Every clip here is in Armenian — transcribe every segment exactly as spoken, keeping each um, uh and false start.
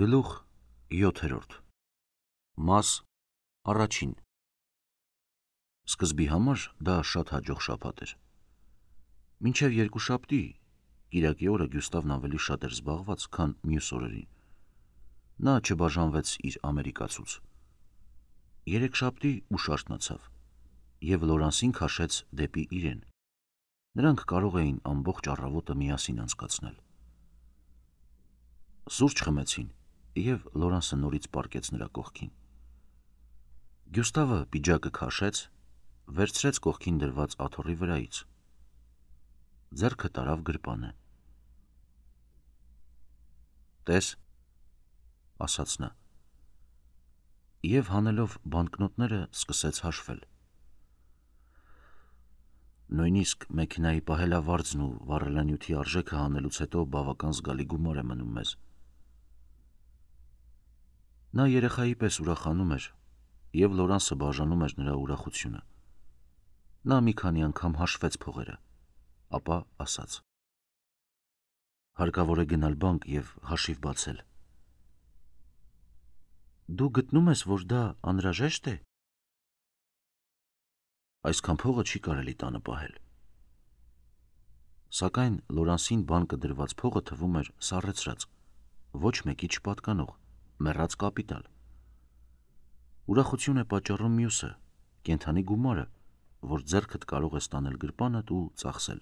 Գլուխ յոթերորդ Մաս առաջին Սկզբի համար դա շատ հաջող շաբաթ էր։ Մինչև երկուշաբթի կիրակի օրը Գյուստավն ավելի շատ էր զբաղված, քան մյուս օրերին։ Նա չբաժանվեց իր ամերիկացուց։ Երեքշաբթի ուշ արթնացավ և Լորանսին քաշեց դեպի իրեն։ Նրանք կարող էին ամբողջ առավոտը միասին անցկացնել։ Սուրճ խմեցին, և Լորանսը նորից պառկեց նրա կողքին։ Գյուստավը պիջակը քաշեց, վերցրեց կողքին դրված աթոռի վրայից, ձեռքը տարավ գրպանը։ «Տես», ասաց նա, և հանելով բանկնոտները սկսեց հաշվել։ Նույնիսկ մեքենայի պահելավարձն ու վառելանյութի արժեքը հանելուց հետո բավական զգալի գումար է մնում մեզ։ Նա երեխայի պես ուրախանում էր, և Լորանսը բաժանում էր նրա ուրախությունը։ Նա մի քանի անգամ հաշվեց փողերը, ապա ասաց. «Հարկավոր է գնալ բանկ և հաշիվ բացել»։ «Դու գտնում ես, որ դա անհրաժե՞շտ է»։ «Այսքան փողը չի կարելի տանը պահել»։ Սակայն Լորանսին բանկը դրված փողը թվում էր սառեցրած, ոչ մեկի չպատկանող, մեռած կապիտալ։ Ուրախություն է պատճառում մյուսը, կենդանի գումարը, որ ձեռքդ կարող ես տանել գրպանդ ու ծախսել։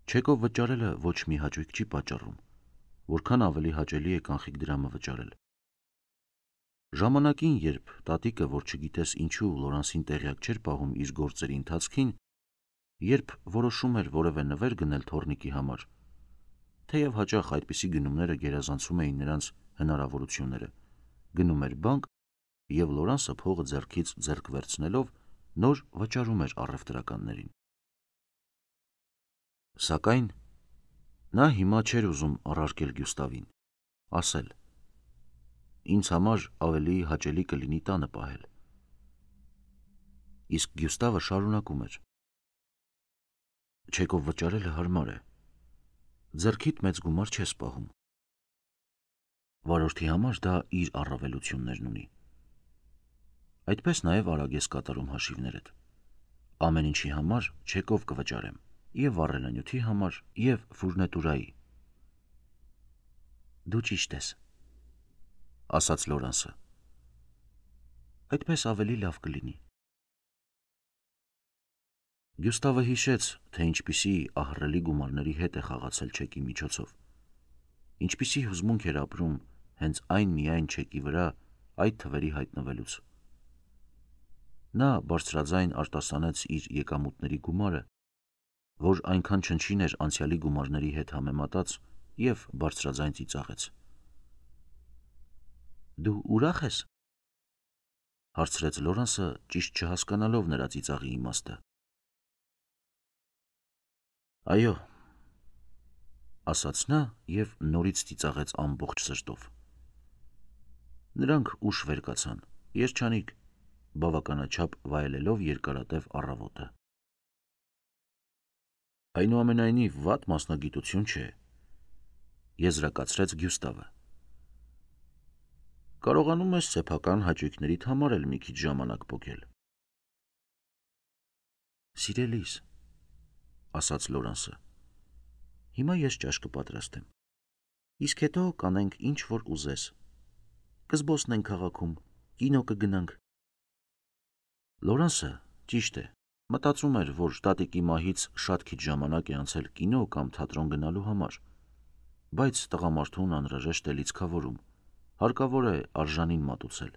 Չեկով վճարելը ոչ մի հաճույք չի պատճառում, որքան ավելի հաճելի է կանխիկ դրամը վճարել։ Ժամանակին, երբ տատիկը, որ չգիտես ինչու Լորանսին տեղյակ չէր պահում իր գործերի ընթացքին, երբ որոշում էր որևէ նվեր գնել թոռնիկի համար, թեև հաճախ այդպիսի գնումները գերազանցում էին նրանց հնարավորությունները, գնում էր բանկ և Լորանսը փողը ձեռքից ձեռք վերցնելով նոր վճարում էր առևտրականներին։ Սակայն նա հիմա չէր ուզում առարկել Գյուստավին, ասել. «Ինձ համար ավելի հաճելի կլինի տանը պահել»։ Իսկ Գյուստավը շարունակում էր. «Չեկով վճարելը հարմար է, ձեռքիդ մեծ գումար չես պահում։ Վարորդի համար դա իր առավելություններն ունի։ Այդպես նաև արագ ես կատարում հաշիվներդ։ Ամեն ինչի համար չեկով կվճարեմ, և վառելանյութի համար, և ֆուրնետուրայի»։ «Դու ճիշտ ես», ասաց Լորանսը։ «Այդպես ավելի լավ կլինի»։ Գյուստավը հիշեց, թե ինչպիսի ահռելի գումարների հետ է խաղացել չեկի միջոցով, ինչպիսի հուզմունք էր ապրում հենց այն միայն չեկի վրա այդ թվերի հայտնվելուց։ Նա բարձրաձայն արտասանեց իր եկամուտների գումարը, որ այնքան չնչին էր անցյալի գումարների հետ համեմատած, և բարձրաձայն ծիծաղեց։ «Դու ուրախ ես»։ հարցրեց Լորանսը, ճիշտ չհասկանալով նրա ծիծաղի իմաստը։ «Այո», ասաց նա և նորից ծիծաղեց ամբողջ սրտով։ Նրանք ուշ վեր կացան, երջանիկ, բավականաչափ վայելելով երկարատև առավոտը։ «Այնուամենայնիվ, վատ մասնագիտություն չէ», եզրակացրեց Գյուստավը։ «Կարողանում ես սեփական հաճույքներիդ համար էլ մի քիչ ժամանակ պոկել»։ «Սիրելիս», ասաց Լորանսը, «հիմա ես ճաշ կպատրաստեմ, իսկ հետո կանենք ինչ որ ուզես, կզբոսնենք քաղաքում, կինո կգնանք»։ Լորանսը, ճիշտ է, մտածում էր, որ տատիկի մահից շատ քիչ ժամանակ է անցել կինո կամ թատրոն գնալու համար, բայց տղամարդուն անհրաժեշտ է լիցքավորում, հարկավոր է արժանին մատուցել։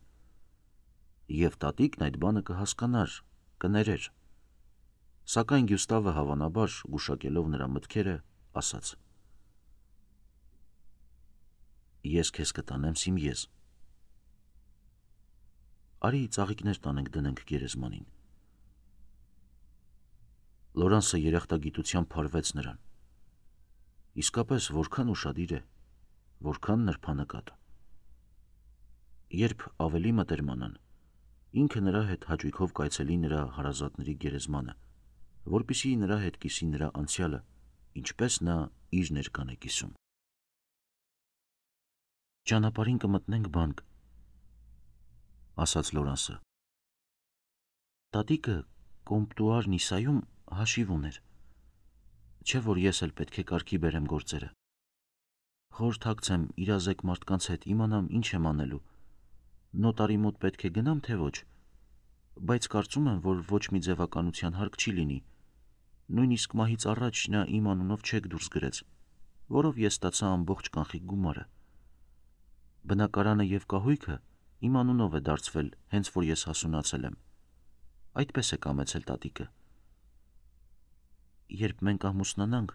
Եվ տատիկն այդ բանը կհասկանար, կներեր։ Սակայն Գյուստավը, հավանաբար, գուշակելով նրա մտքերը, ասաց. «Ես քեզ կտանեմ Սիմիեզ։ Արի ծաղիկներ տանենք դնենք գերեզմանին»։ Լորանսը երախտագիտությամբ փարվեց նրան։ Իսկապես որքան ուշադիր է, որքան նրբանկատ։ Երբ ավելի մտերմանան, ինքը նրա հետ հաճույքով կայցելի նրա հարազատների գերեզմանը, որպեսզի նրա հետ կիսի նրա անցյալը, ինչպես նա իր ներկան է կիսում։ ճանապարհին կմտնենք բանկ, ասաց Լորանսը։ Տատիկը կոմպտուար Նիսայում հաշիվ ուներ, չէ որ ես էլ պետք է կարգի բերեմ գործերը։ Խորհրդակցեմ իրազեկ մարդկանց հետ իմանամ ինչ եմ անելու, նոտարի մոտ պետք է գնամ թե ոչ, բայց կարծում եմ, որ ոչ մի ձևականության հարկ չի լինի, նույնիսկ մահից առաջ նա իմ անունով չեք դուրս գրեց, որով ես ստացա ամբողջ կանխիկ գումարը։ Բնակարանը և կահույքը իմ անունով է դարձվել, հենց որ ես հասունացել եմ։ Այդպես է կամեցել տատիկը։ Երբ մենք ամուսնանանք,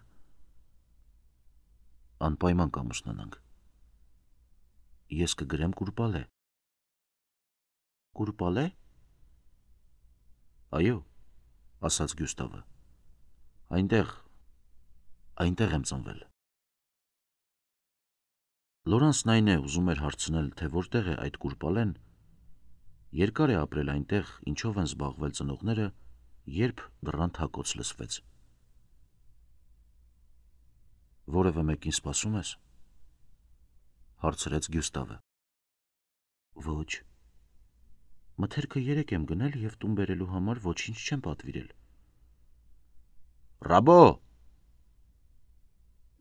անպայման կամուսնանանք, ես կգրեմ Կուրպալե։ Կուրպալե։ Այո, ասաց Գյուստավը։ Այնտեղ, այնտեղ եմ ծնվել։ Լորանսն այն է ուզում էր հարցնել, թե որտեղ է այդ Կուրպալեն, երկար է ապրել այնտեղ, ինչով են զբաղվել ծնողները, երբ դռան թակոց լսվեց։ Որևէ մեկին սպասում ես, հարցրեց Գյուստավը։ Ոչ։ Մթերքը երեկ եմ գնել և տուն բերելու համար ոչինչ չեմ պատվիրել։ Ռաբո,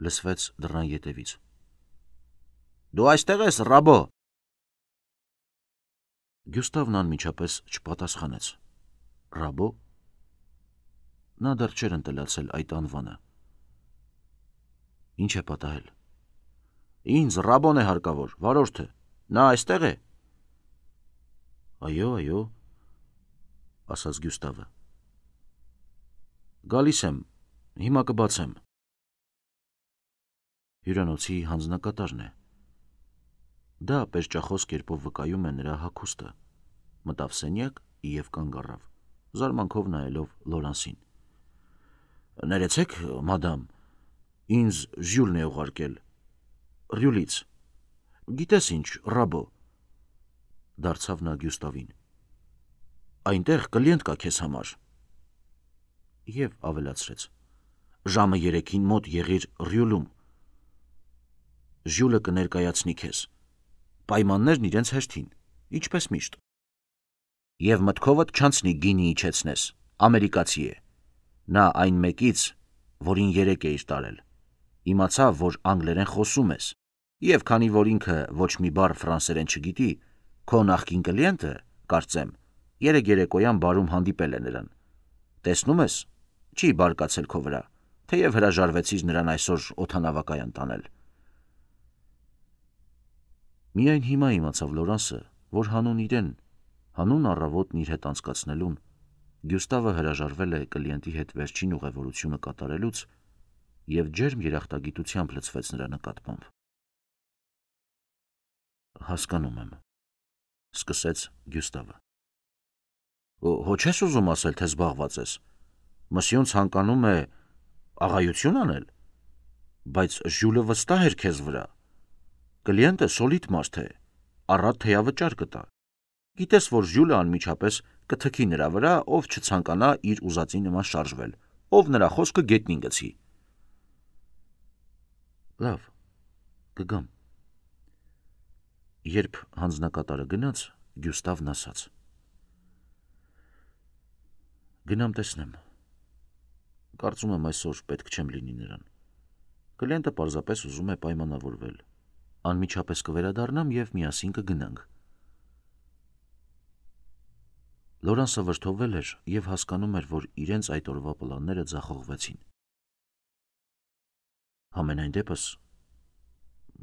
լսվեց դռան ետևից։ Դու այստեղ ես, Ռաբո։ Գյուստավն անմիջապես չպատասխանեց։ Ռաբո։ Նա դեռ չէր ընտելացել այդ անվանը։ Ինչ է պատահել։ Ինձ Ռաբոն է հարկավոր, վարորդը, նա այստեղ է։ Այո, այո, ասաց Գյուստավը։ Գալիս եմ, հիմա կբացեմ։ Հյուրանոցի հանձնակատարն է։ Դա պերճախոս կերպով վկայում է նրա հագուստը, մտավ սենյակ և կանգ առավ, զարմանքով նայելով Լորանսին։ Ներեցեք, մադամ, ինձ Ժյուլն է ուղարկել, Ռյուլից, գիտես ինչ, Ռաբո, դարձավ նա Գյուստավին, այնտեղ կլիենտ կա քեզ համար, և ավելացրեց, ժամը երեքին մոտ եղիր Ռյուլում, Ժյուլը կներկայացնի քեզ, պայմաններն իրենց հեշտին, ինչպես միշտ, և մտքովդ չանցնի գինի իջեցնես, ամերիկացի է, նա այն մեկից, որին երեկ էիր տարել, իմացավ, որ անգլերեն խոսում ես, և քանի որ ինքը ոչ մի բառ ֆրանսերեն չգիտի, քո նախկին կլիենտը, կարծեմ, երեկ երեկոյան բարում հանդիպել է նրան, տեսնում ես, չի բարկացել քո վրա, թեև հրաժարվեցիր նրան այսօր օդանավակայան տանել։ Միայն հիմա իմացավ Լորանսը, որ հանուն իրեն, հանուն առավոտն իր հետ անցկացնելուն, Գյուստավը հրաժարվել է կլիենտի հետ վերջին ուղևորությունը կատարելուց և ջերմ երախտագիտությամբ լցվեց նրա նկատմամբ։ Հասկանում եմ, սկսեց Գյուստավը։ Հո չես ուզում ասել, թե զբաղված ես։ Մսյուն ցանկանում է աղայություն անել, բայց Ժյուլը վստահ էր քեզ վրա։ Կլիենտը սոլիդ մարդ է, առատ թեյավճար կտա։ Գիտես, որ Ժյուլը անմիջապես կթքի նրա վրա, ով չցանկանա իր ուզածի նման շարժվել, ով նրա խոսքը գետնին գցի։ Լավ, կգամ։ Երբ հանձնակատարը գնաց, Գյուստավն ասաց. Գնամ տեսնեմ։ Կարծում եմ այսօր պետք չեմ լինի նրան։ Կլիենտը պարզապես ուզում է պայմանավորվել։ Անմիջապես կվերադառնամ և միասին կգնանք։ Լորանսը վրդովվել էր և հասկանում էր, որ իրենց այդ օրվա պլանները ձախողվեցին։ Համենայն դեպս,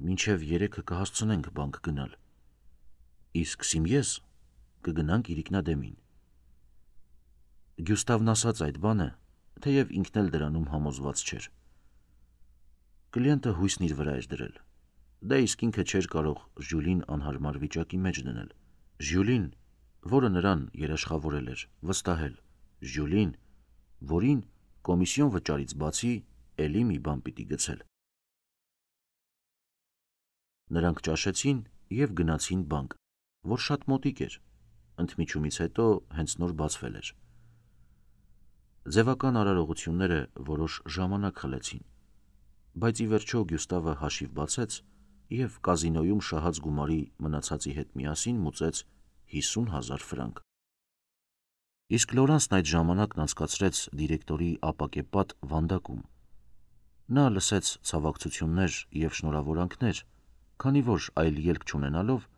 մինչև երեքը կհասցնենք բանկ գնալ, իսկ Սիմիեզ կգնանք Իրիկնադեմին։ Գյուստավն ասաց այդ բանը, թեև ինքն էլ դրանում համոզված չէր։ Կլիենտը հույսն իր վրա էր դրել, դա իսկ ինքը չէր կարող Ժյուլին անհարմար վիճակի մեջ դնել, Ժյուլին, որը նրան երաշխավորել էր, վստահել, Ժյուլին, որին կոմիսիոն վճարից բացի էլի մի բան պիտի գցել։ Նրանք ճաշեցին և գնացին բանկ, որ շատ մոտիկ էր, ընդմիջումից հետո հենց նոր բացվել էր։ Ձևական արարողությունները որոշ ժամանակ խլեցին, բայց ի վերջո Գյուստավը հաշիվ բացեց և կազինոյում շահած գումարի մնացածի հետ միասին մուծեց հիսուն հազար ֆրանկ։ Իսկ Լորանսն այդ ժամանակն անցկացրեց դիրեկտորի ապակեպատ վանդակում։ Նա լսեց ցավակցություններ և շնորհավորանքներ, քանի որ այլ ելք չունենալով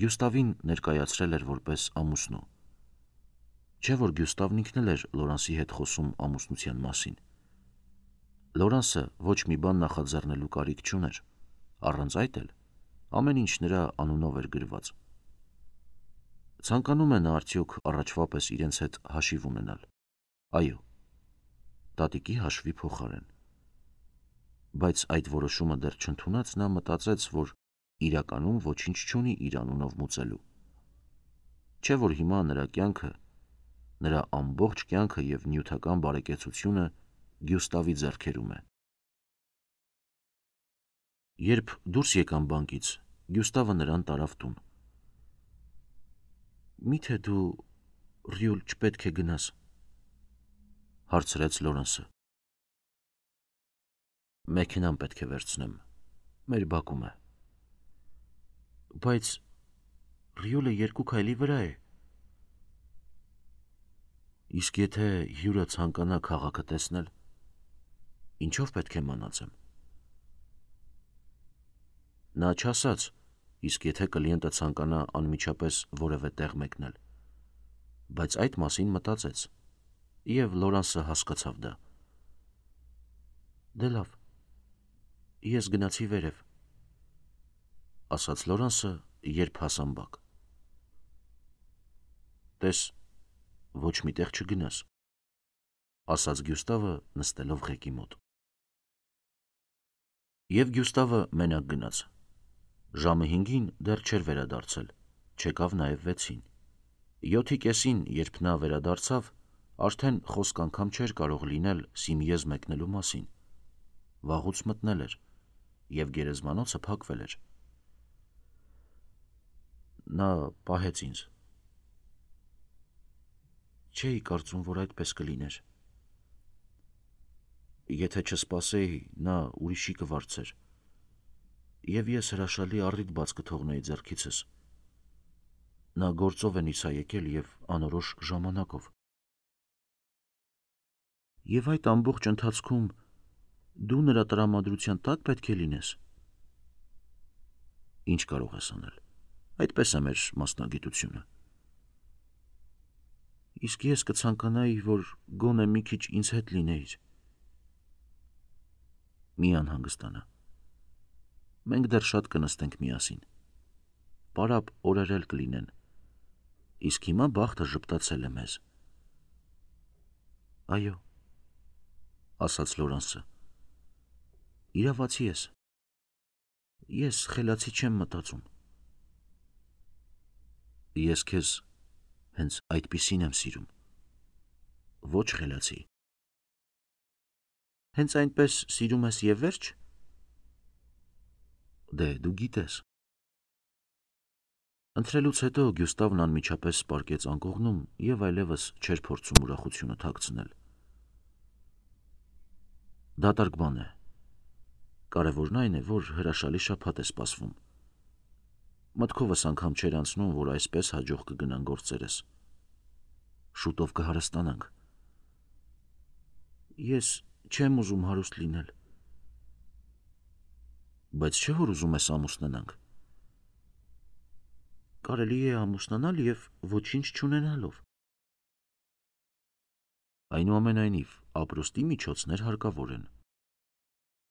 Գյուստավին ներկայացրել էր որպես ամուսնու։ Չէ՞ որ Գյուստավն ինքն էլ էր Լորանսի հետ խոսում ամուսնության մասին։ Լորանսը ոչ մի բան նախաձեռնելու կարիք չուներ, առանց այդ էլ ամեն ինչ նրա անունով էր գրված։ Ցանկանում է նա արդյոք առաջվա պես իրենց հետ հաշիվ ունենալ։ Այո, տատիկի հաշվի փոխարեն։ Բայց այդ որոշումը դեռ չընդունած նա մտածեց, որ իրականում ոչինչ չունի իր անունով մուծելու։ Չէ՞ որ հիմա նրա կյանքը, նրա ամբողջ կյանքը և նյութական բարեկեցությունը Գյուստավի ձեռքերում է։ Երբ դուրս եկան բանկից, Գյուստավը նրան տարավ տուն։ «Մի՞թե դու Ռյուլ չպետք է գնաս», հարցրեց Լորանսը։ «Մեքենան պետք է վերցնեմ, մեր բակում է»։ «Բայց Ռյուլը երկու քայլի վրա է»։ «Իսկ եթե հյուրը ցանկանա քաղաքը տեսնել, ինչով պետք է մանածեմ»։ Նա չասաց, իսկ եթե կլիենտը ցանկանա անմիջապես որևէ տեղ մեկնել, բայց այդ մասին մտածեց, և Լորանսը հասկացավ դա։ «Դե լավ, ես գնացի վերև», ասաց Լորանսը, երբ հասան բակ։ «Տես, ոչ մի տեղ չգնաս», ասաց Գյուստավը, նստելով ղեկի մոտ։ Եվ Գյուստավը մենակ գնաց։ Ժամը հինգին դեռ չէր վերադարձել, չեկավ նաև վեցին։ Յոթի կեսին, երբ նա վերադարձավ, արդեն խոսք անգամ չէր կարող լինել Սիմիեզ մեկնելու մասին։ Վաղուց մտնել էր, և գերեզմանոցը փակվել էր։ Նա պահեց ինձ։ Չէի կարծում, որ այդպես կլիներ։ Եթե չսպասեի, նա ուրիշի կվարձեր, և ես հրաշալի առիթ բաց կթողնեի ձեռքիցս։ Նա գործով է Նիսա եկել և անորոշ ժամանակով։ Եվ այդ ամբողջ ընթացքում դու նրա տրամադրության տակ պետք է լինես։ Ինչ կարող ես անել, այդպես է մեր մասնագիտությունը։ Իսկ ես կցանկանայի, որ գոնե մի քիչ ինձ հետ լինեիր։ Մի անհանգստանա։ Մենք դեռ շատ կնստենք միասին։ Պարապ օրեր էլ կլինեն, իսկ հիմա բախտը ժպտացել է մեզ։ Այո, ասաց Լորանսը, իրավացի ես։ Ես խելացի չեմ մտածում։ Ես քեզ հենց այդպիսին եմ սիրում, ոչ խելացի։ Հենց այնպես սիրում ես և վերջ։ Դե, դու գիտես։ Ընթրելուց հետո Գյուստավն անմիջապես պառկեց անկողնում և այլևս չէր փորձում ուրախությունը թաքցնել։ Դատարկ բան է։ Կարևորն այն է, որ հրաշալի շաբաթ է սպասվում։ Մտքովս անգամ չէր անցնում, որ այսպես հաջող կգնան գործերս։ Շուտով կհարստանանք։ Ես չեմ ուզում հարուստ լինել։ Բայց չէ՞ որ ուզում ես ամուսնանանք։ Կարելի է ամուսնանալ և ոչինչ չունենալով։ Այնուամենայնիվ, ապրուստի միջոցներ հարկավոր են։